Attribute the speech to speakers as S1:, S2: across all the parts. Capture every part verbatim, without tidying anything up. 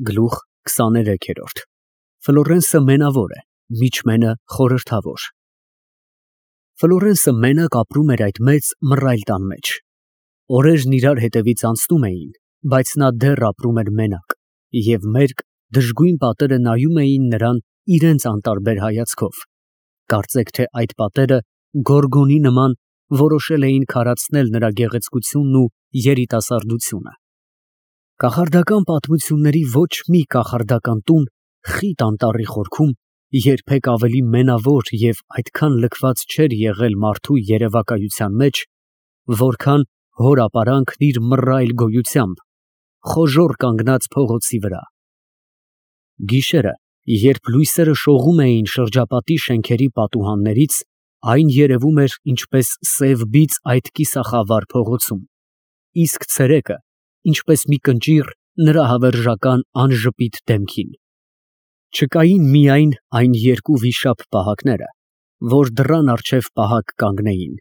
S1: Գլուխ քսաներեք։ Ֆլորենսը մենավոր է, Միջմենը խորհրդավոր։ Ֆլորենսը մենակ ապրում էր այդ մեծ մռայլ տան մեջ։ Օրերն իրար հետևից անցնում էին, բայց նա դեռ ապրում էր մենակ, և մերկ, դժգույն պատերը նայում էին նրան իրենց անտարբեր հայացքով, կարծեք թե այդ պատերը գորգոնի նման որոշել էին քարացնել նրա գեղեցկությունն ու երիտասարդությունը։ Կախարդական պատմությունների ոչ մի կախարդական տուն խիտ անտառի խորքում երբեք ավելի մենավոր և այդքան լքված չէր եղել մարդու երևակայության մեջ, որքան հոր ապարանքն իր մռայլ գոյությամբ, խոժոռ կանգնած փողոցի վրա։ Գիշերը, երբ լույսերը շողում էին շրջապատի շենքերի պատուհաններից, այն երևում էր ինչպես սև բիծ այդ կիսախավար փողոցում, իսկ ցերեկը, ինչպես մի կնճիռ նրա հավերժական անժպիտ դեմքին։ Չկային միայն այն երկու վիշապ պահակները, որ դռան առջև պահակ կանգնեին,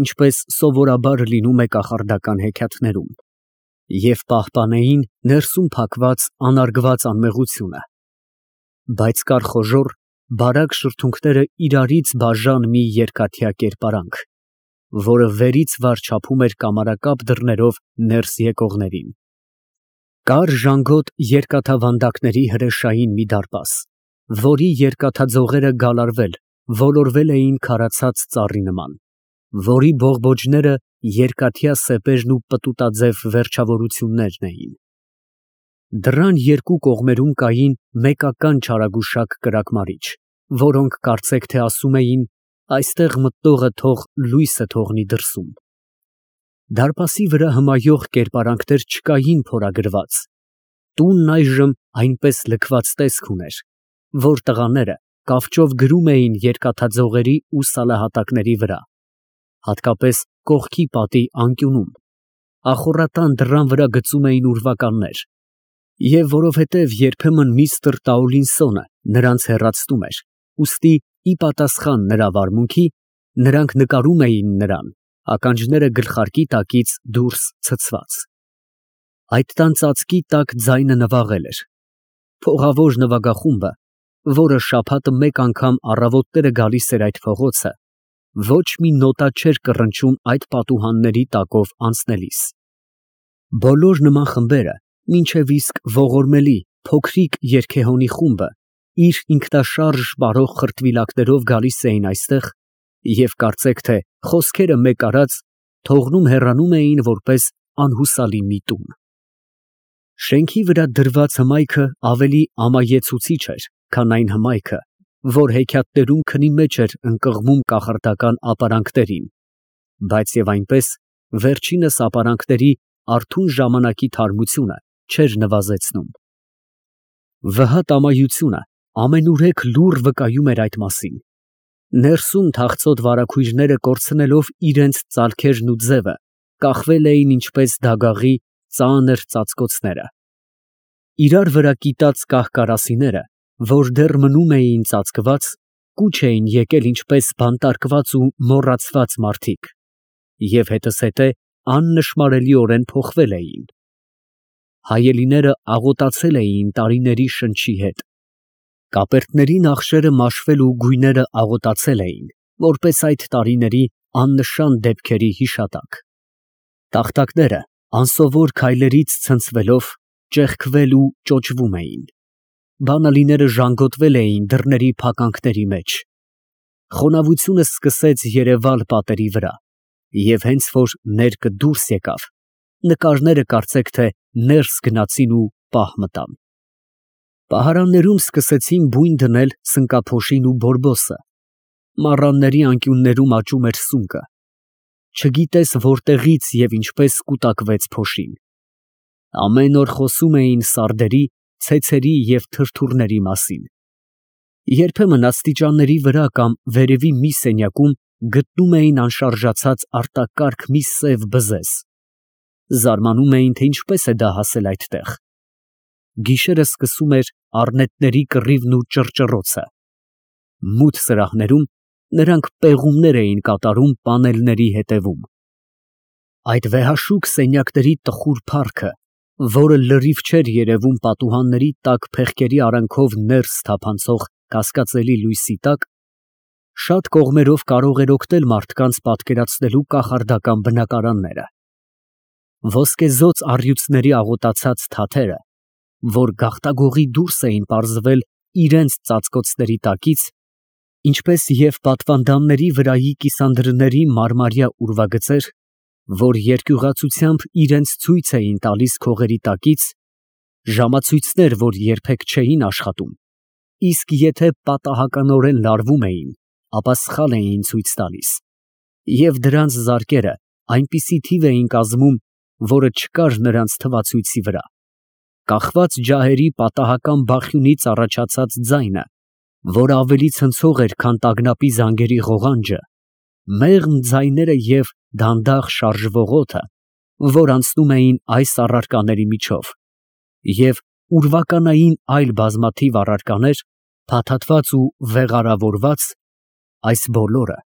S1: ինչպես սովորաբար լինում է կախարդական հեքիաթներում, և պահպանեին ներսում փակված անարգված անմեղությունը, բայց կար խոժոռ, բարակ շրթունքները իրարից բաժան մի երկաթյա կերպարանք, որը վերից վար չափում էր կամարակապ դռներով ներս եկողներին։ Կար ժանգոտ երկաթավանդակների հրեշային մի դարպաս, որի երկաթաձողերը գալարվել, ոլորվել էին քարացած ծառի նման, որի բողբոջները երկաթյա սեպերն ու պտուտաձև վերջավորություններն էին։ Դռան երկու կողմերում կային մեկական չարագուշակ կրակմարիչ, որոնք կարծեք թե ասում էին. «Այստեղ մտնողը թող լույսը թողնի դրսում»։ Դարպասի վրա հմայող կերպարանքներ չկային փորագրված, տունն այժմ այնպես լքված տեսք ուներ, որ տղաները կավճով գրում էին երկաթաձողերի ու սալահատակների վրա, հատկապես կողքի պատի անկյունում, ախոռատան դռան վրա գծում էին ուրվականներ, և որովհետև երբեմն միստր Տաուլինսոնը նրանց հեռացնում էր, ուստի ի պատասխան նրա վարմունքի, նրանք նկարում էին նրան, ականջները գլխարկի տակից դուրս ցցված։ Այդ տան ծածկի տակ ձայնը նվաղել էր։ Փողավոր նվագախումբը, որը շաբաթը մեկ անգամ առավոտները գալիս էր այդ փողոցը, ոչ մի նոտա չէր կռնչում այդ պատուհանների տակով անցնելիս։ Բոլոր նման խմբերը, մինչև իսկ ողորմելի, փոքրիկ երգեհոնի խումբը, իր ինքնաշարժ պարող խրտվիլակներով գալիս էին այստեղ և կարծեք թե խոսքերը մեկ արած թողնում հեռանում էին որպես անհուսալի մի տուն։ Շենքի վրա դրված հմայքը ավելի ամայեցուցիչ էր, քան այն հմայքը, որ հեքիաթներում քնի մեջ էր ընկղմում կախարդական ապարանքներին, բայց և այնպես վերջինս ապարանքների արթուն ժամանակի թարմությունը չէր նվազեցնում։ Վհատ ամայությունը ամենուրեք լուռ վկայում էր այդ մասին։ Ներսում թախծոտ վարագույրները կորցնելով իրենց ծալքերն ու ձևը, կախվել էին ինչպես դագաղի ծանր ծածկոցները։ Իրար վրա կիտած կահ֊կարասիները, որ դեռ մնում էին ծածկված, կուչ էին եկել ինչպես բանտարկված ու մոռացված մարդիկ, և հետզհետե աննշմարելիորեն փոխվել էին։ Հայելիները աղոտացել էին տարիների շնչի հետ։ Կապերտների նախշերը մաշվել ու գույները աղոտացել էին, որպես այդ տարիների աննշան դեպքերի հիշատակ։ Տախտակները անսովոր քայլերից ցնցվելով, ճեղքվել ու ճոճվում էին։ Բանալիները ժանգոտվել էին դռների փականքների մեջ։ Խոնավությունը սկսեց երևալ պատերի վրա, և հենց որ ներկը դուրս եկավ, նկարները կարծեք թե ներս գնացին ու պահ մտան։ Պահարաններում սկսեցին բույն դնել սնկափոշին ու բորբոսը, մառանների անկյուններում աճում էր սունկը, չգիտես որտեղից և ինչպես կուտակվեց փոշին։ Ամեն օր խոսում էին սարդերի, ցեցերի և թրթուրների մասին։ Երբեմն աստիճանների վրա կամ վերևի մի սենյակում գտնում էին անշարժացած արտակարգ մի սև բզեզ, զարմանում էին, թե ինչպես է դա հասել այդտեղ։ Գիշերը սկսում էր առնետների կռիվն ու ճռճռոցը։ Մութ սրահներում նրանք պեղումներ էին կատարում պանելների ետևում։ Այդ վեհաշուկ սենյակների տխուր փառքը որը լրիվ չէր երևում պատուհանների տաք փեղկերի արանքով ներս թափանցող կասկածելի լույսի տակ, շատ կողմերով կարող էր օգնել մարդկանց պատկերացնելու կախարդական բնակարանները։ Ոսկեզօծ առյուծների աղոտացած թաթերը, որ գաղտագողի դուրս էին պարզվել իրենց ծածկոցների տակից, ինչպես և պատվանդանների վրայի կիսանդրների մարմարյա ուրվագծեր, որ երկյուղածությամբ իրենց ցույց էին տալիս քողերի տակից, ժամացույցներ, որ երբեք չէին աշխատում, իսկ եթե պատահականորեն լարվում էին, ապա սխալ էին ցույց տալիս, և դրանց զարկերը այնպիսի թիվ էին կազմում, որը չկար նրանց թվացույցի վրա, կախված ջահերի պատահական բախյունից առաջացած ձայնը, որ ավելի ցնցող էր, քան տագնապի զանգերի ղողանջը, մեղմ ձայները և դանդաղ շարժվող օդը, որ անցնում էին այս առարկաների միջով, և ուրվականային այլ բազմաթիվ առարկաներ, փաթաթված ու վեղարավորված, այս բոլորը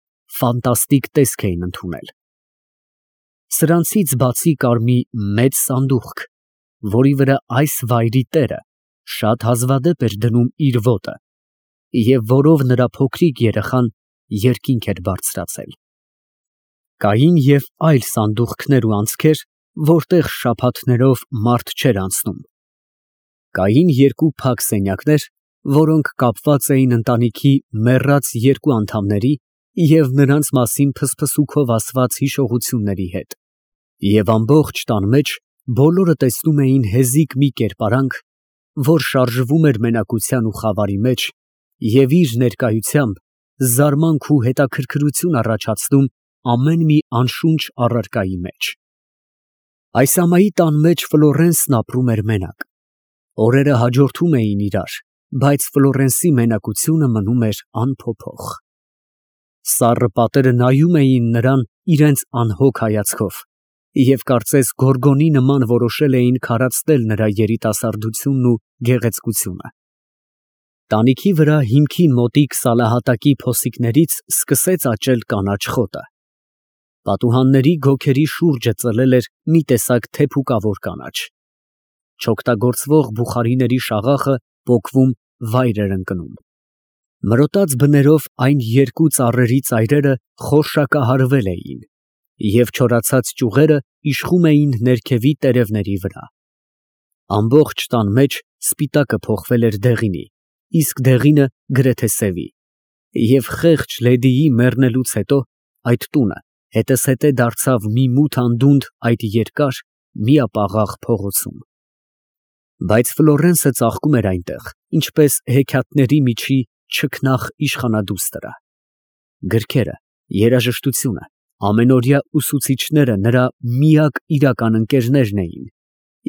S1: ֆանտաստիկ տեսք էին ընդունել։ Սրանցից բացի կար մի մեծ սանդուղք, որի վրա այս վայրի տերը շատ հազվադեպ էր դնում իր ոտը և որով նրա փոքրիկ երեխան երկինք էր բարձրացել։ Կային և այլ սանդուղքներ ու անցքեր, որտեղ շաբաթներով մարդ չէր անցնում։ Կային երկու փակ սենյակներ, որոնք կապված էին ընտանիքի մեռած երկու անդամների և նրանց մասին փսփսուքով ասված հիշողությունների հետ, և ամբողջ տան մեջ բոլորը տեսնում էին հեզիկ մի կերպարանք, որ շարժվում էր մենակության ու խավարի մեջ և իր ներկայությամբ զարմանք ու հետաքրքրություն առաջացնում ամեն մի անշունչ առարկայի մեջ։ Այս ամայի տան մեջ Ֆլորենսն ապրում էր մենակ։ Օրերը հաջորդում էին իրար, բայց Ֆլորենսի մենակությունը մնում էր անփոփոխ։ Սառը պատերը նայում էին նրան իրենց անհոգ հայացքով և կարծես գորգոնի նման որոշել էին քարացնել նրա երիտասարդությունն ու գեղեցկությունը։ Տանիքի վրա հիմքին մոտիկ սալահատակի փոսիկներից սկսեց աճել կանաչ խոտը։ Պատուհանների գոգերի շուրջը ծլել էր մի տեսակ թեփուկավոր կանաչ։ Չօգտագործվող բուխարիների շաղախը պոկվում վայր էր ընկնում։ Մրոտած բներով այն երկու ծառերի ծայրերը խորշակահարվել էին, և չորացած ճյուղերը իշխում էին ներքևի տերևների վրա։ Ամբողջ տան մեջ սպիտակը փոխվել էր դեղինի, իսկ դեղինը գրեթե սևի, և խեղճ լեդիի մեռնելուց հետո այդ տունը հետզհետե դարձավ մի մութ անդունդ այդ երկար, միապաղաղ փողոցում։ Բայց Ֆլորենսը ծաղկում էր այնտեղ, ինչպես հեքիաթների միջի չքնաղ իշխանադուստրը։ Գրքերը, երաժշտությունը, ամենօրյա ուսուցիչները նրա միակ իրական ընկերներն էին,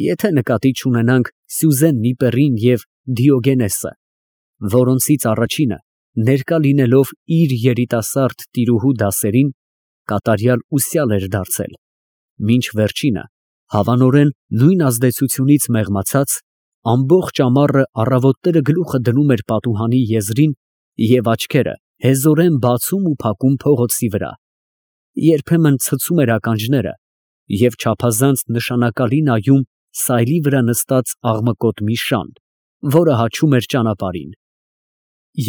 S1: եթե նկատի չունենանք Սյուզեն Նիպերին և Դիոգենեսը, որոնցից առաջինը, ներկա լինելով իր երիտասարդ տիրուհու դասերին, կատարյալ ուսյալ էր դարձել, մինչ վերջինը, հավանորեն նույն ազդեցությունից մեղմացած, ամբողջ ամառը առավոտները գլուխը դնում էր պատուհանի եզրին և աչքերը հեզորեն բացում ու փակում փողոցի վրա, երբեմն ցցում էր ականջները և չափազանց նշանակալի նայում սայլի վրա նստած աղմկոտ մի շան, որը հաչում էր ճանապարհին,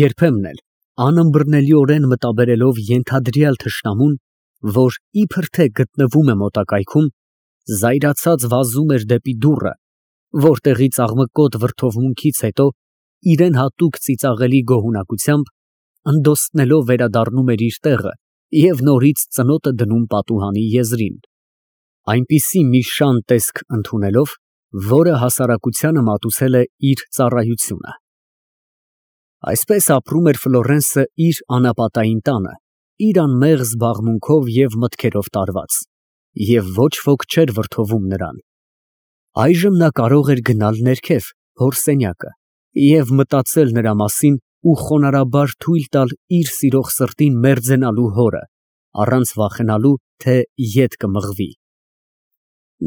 S1: երբեմն էլ անըմբռնելիորեն մտաբերելով ենթադրյալ թշնամուն, որ իբր թե գտնվում է մոտակայքում, զայրացած վազում էր դեպի դուռը, որտեղից աղմկոտ վրդովմունքից հետո իրան հատուկ ծիծաղելի գոհունակությամբ ընդոստներով վերադառնում էր իր տեղը և նորից ծնոտը դնում պատուհանի եզրին, այնպիսի մի շան տեսք ընդունելով, որը հասարակությանը մատուցել է իր ծառայությունը։ Այսպես ապրում էր Ֆլորենսը իր անապատային տանը, իր անմեղ զբաղմունքով և մտքերով տարված, և ոչ ոք չէր վրդովում նրան։ Այժմ նա կարող էր գնալ ներքև, հոր սենյակը, և մտածել նրա մասին ու խոնարհաբար թույլ տալ իր սիրող սրտին մերձենալու հորը, առանց վախենալու, թե ետ կմղվի։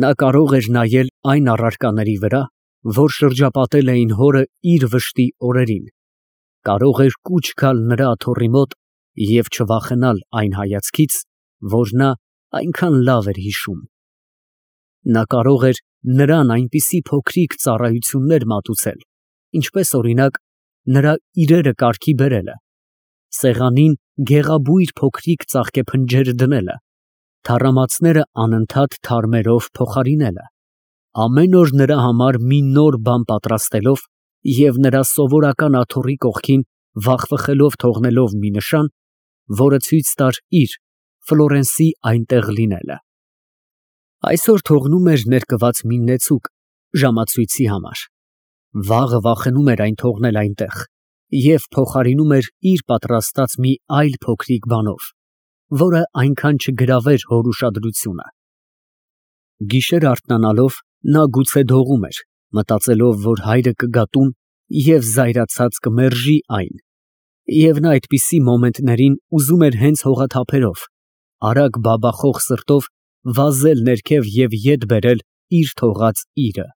S1: Նա կարող էր նայել այն առարկաների վրա, որ շրջապատել էին հորը իր վշտի օրերին, կարող էր կուչ գալ նրա աթոռի մոտ և չվախենալ այն հայացքից, որ նա այնքան լավ էր հիշում։ Նա կարող էր նրան այնպիսի փոքրիկ ծառայություններ մատուցել, ինչպես օրինակ, նրա իրերը կարգի բերելը, սեղանին գեղաբույր փոքրիկ ծաղկեփնջեր դնելը, թառամացները անընդհատ թարմերով փոխարինելը, ամեն օր նրա համար մի նոր բան պատրաստելով և նրա սովորական աթոռի կողքին վախվխելով թողնելով մի նշան, որը ցույց տար իր՝ Ֆլորենսի այնտեղ լինելը։ Այսօր թողնում էր ներկված մի նեցուկ ժամացույցի համար, վաղը վախենում էր այն թողնել այնտեղ և փոխարինում էր իր պատրաստած մի այլ փոքրիկ բանով, որը այնքան չգրավեր հոր ուշադրությունը։ Գիշեր արթնանալով նա գուցե դողում էր, մտածելով, որ հայրը կգա տուն և զայրացած կմերժի այն, և նա այդպիսի մոմենտներին ուզում էր հենց հողաթափերով, արագ բաբախող սրտով վազել ներքև և ետ բերել իր թողած իրը։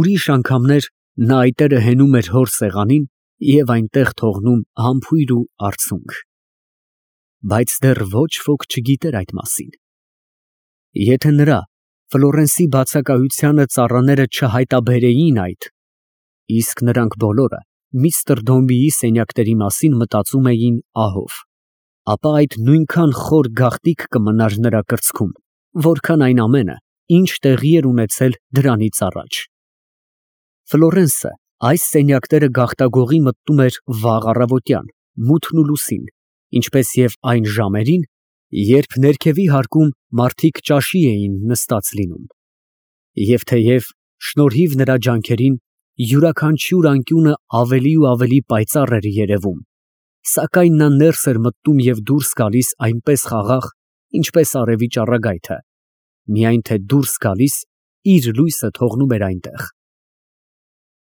S1: Ուրիշ անգամներ նա այտերը հենում էր հոր սեղանին և այնտեղ թողնում համբույր ու արցունք։ Բայց դեռ ոչ ոք չգիտեր այդ մասին։ Եթե նրա՝ Ֆլորենսի բացակայությանը ծառաները չհայտաբերեին այդ, իսկ նրանք բոլորը միստր Դոմբիի սենյակների մասին մտածում էին ահով, ապա այդ նույնքան խոր գաղտնիք կմնար նրա կրծքում, որքան այն ամենը, ինչ տեղի էր ունեցել դրանից առաջ։ Ֆլորենսը այս սենյակները գաղտագողի մտնում էր վաղ առավոտյան, մութն ու լուսին, ինչպես և այն ժամերին, երբ ներքևի հարկում մարդիկ ճաշի էին նստած լինում, և թեև, շնորհիվ նրա ջանքերին, յուրաքանչյուր անկյունը ավելի ու ավելի պայծառ էր երևում, սակայն նա ներս էր մտնում և դուրս գալիս այնպես խաղաղ, ինչպես արևի ճառագայթը, միայն թե դուրս գալիս իր լույսը թողնում էր այնտեղ։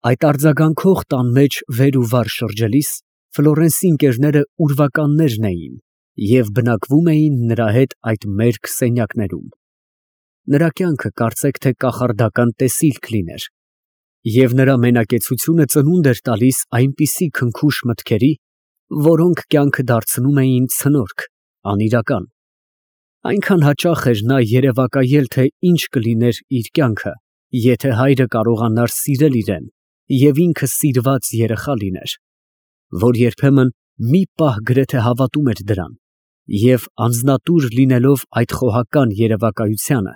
S1: Այդ արձագանքող տան մեջ վեր ու վար շրջելիս Ֆլորենսի ընկերները ուրվականներն էին և բնակվում էին նրա հետ այդ մերկ սենյակներում։ Նրա կյանքը կարծեք թե կախարդական տեսիլք լիներ, և նրա մենակեցությունը ծնունդ էր տալիս այնպիսի քնքուշ մտքերի, որոնք կյանքը դարձնում էին ցնորք, անիրական։ Այնքան հաճախ էր նա երևակայել, թե ինչ կլիներ իր կյանքը, եթե հայրը կարողանար սիրել իրեն և ինքը սիրված երեխա լիներ, որ երբեմն մի պահ գրեթե հավատում էր դրան և, անձնատուր լինելով այդ խոհական երևակայությանը,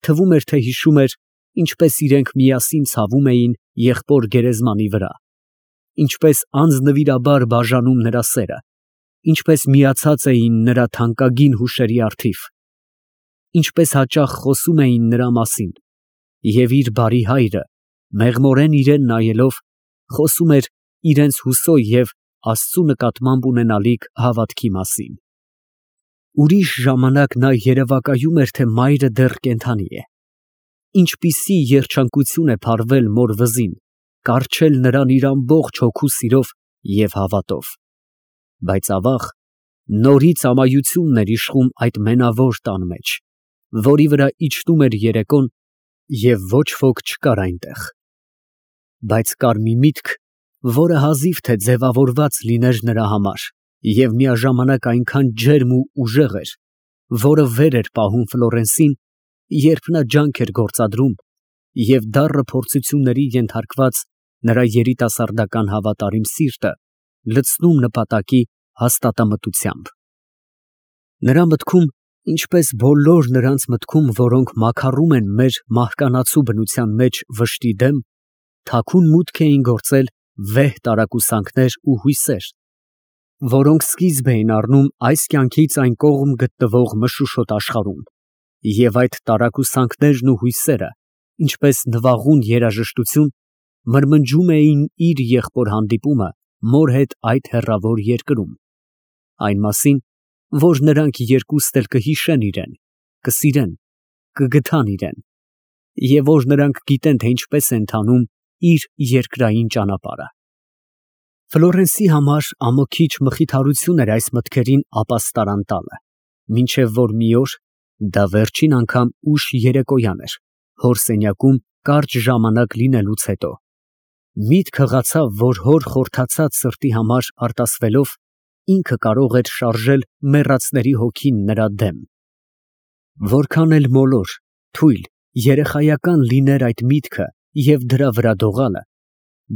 S1: թվում էր, թե հիշում էր, ինչպես իրենք միասին ցավում էին եղբոր գերեզմանի վրա, ինչպես անձնվիրաբար բաժանում նրա սերը, ինչպես միացած էին նրա թանկագին հուշերի առթիվ, ինչպես հաճախ խոսում էին նրա մասին, և իր բարի հայրը, մեղմորեն իրան նայելով, խոսում էր իրենց հուսո և Աստծու նկատմամբ ունենալիք հավատքի մասին։ Ուրիշ ժամանակ նա երևակայում էր, թե մայրը դեռ կենդանի է։ Ինչպիսի երջանկություն է փարվել մոր վզին, կառչել նրան իր ամբողջ հոգու սիրով և հավատով։ Բայց ավաղ, նորից ամայությունն էր իշխում այդ մենավոր տան մեջ, որի վրա իջնում էր երեկոն, և ոչ ոք չկար այնտեղ։ Բայց կար մի միտք, որը հազիվ թե ձևավորված լիներ նրա համար և միաժամանակ այնքան ջերմ ու ուժեղ էր, որը վեր էր պահում Ֆլորենսին, երբ նա ջանք էր գործադրում և դառը փորձությունների ենթարկված նրա երիտասարդական հավատարիմ սիրտը լցնում նպատակի հաստատամտությամբ։ Նրա մտքում, ինչպես բոլոր նրանց մտքում, որոնք մաքարում են մեր մահկանացու բնության մեջ վշտի դեմ, թաքուն մուտք էին գործել վեհ տարակուսանքներ ու հույսեր, որոնք սկիզբ էին առնում այս կյանքից այն կողմ գտնվող մշուշոտ աշխարհում, և այդ տարակուսանքներն ու հույսերը, ինչպես նվաղուն երաժշտություն, մրմնջում էին իր եղբոր հանդիպումը մոր հետ այդ հեռավոր երկրում, այն մասին, որ նրանք երկուստ էլ կհիշեն իրեն, կսիրեն, կգթան իրեն, և որ նրանք գիտեն, թե ինչպես է ընթանում իր երկրային ճանապարհը։ Ֆլորենսի համար ամոքիչ մխիթարություն էր այս մտքերին ապաստարան տալը, մինչև որ մի օր, դա վերջին անգամ ուշ երեկոյան էր, հոր սենյակում կարճ ժամանակ լինելուց հետո, միտք հղացավ, որ հոր խորթացած սրտի համար արտասվելով, ինքը կարող էր շարժել մեռածների հոգին նրա դեմ։ Որքան էլ մոլոր, թույլ երեխայական լիներ այդ միտքը և դրա վրա դողալը,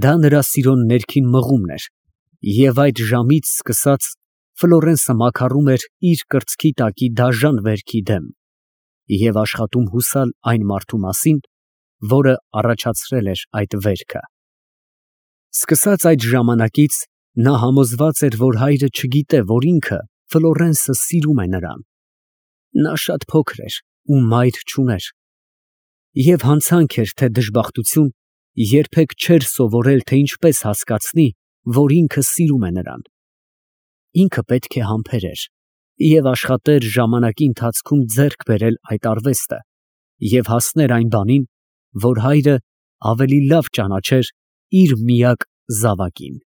S1: դա նրա սիրո ներքին մղումն էր, և այդ ժամից սկսած Ֆլորենսը մաքարում էր իր կրծքի տակի դաժան վերքի դեմ և աշխատում հուսալ այն մարդու մասին, որը առաջացրել էր այդ վերքը։ Սկսած այդ ժամանակից նա համոզված էր, որ հայրը չգիտե, որ ինքը Ֆլորենսը սիրում է նրան. նա շատ փոքր էր ու մայր չուներ, և հանցանք էր, թե դժբախտություն, երբեք չէր սովորել, թե ինչպես հասկացնի, որ ինքը սիրում է նրան։ Ինքը պետք է համբերեր և աշխատեր ժամանակի ընթացքում ձեռք բերել այդ արվեստը և հասներ այն բանին, որ հայրը ավելի լավ ճանաչեր իր միակ զավակին։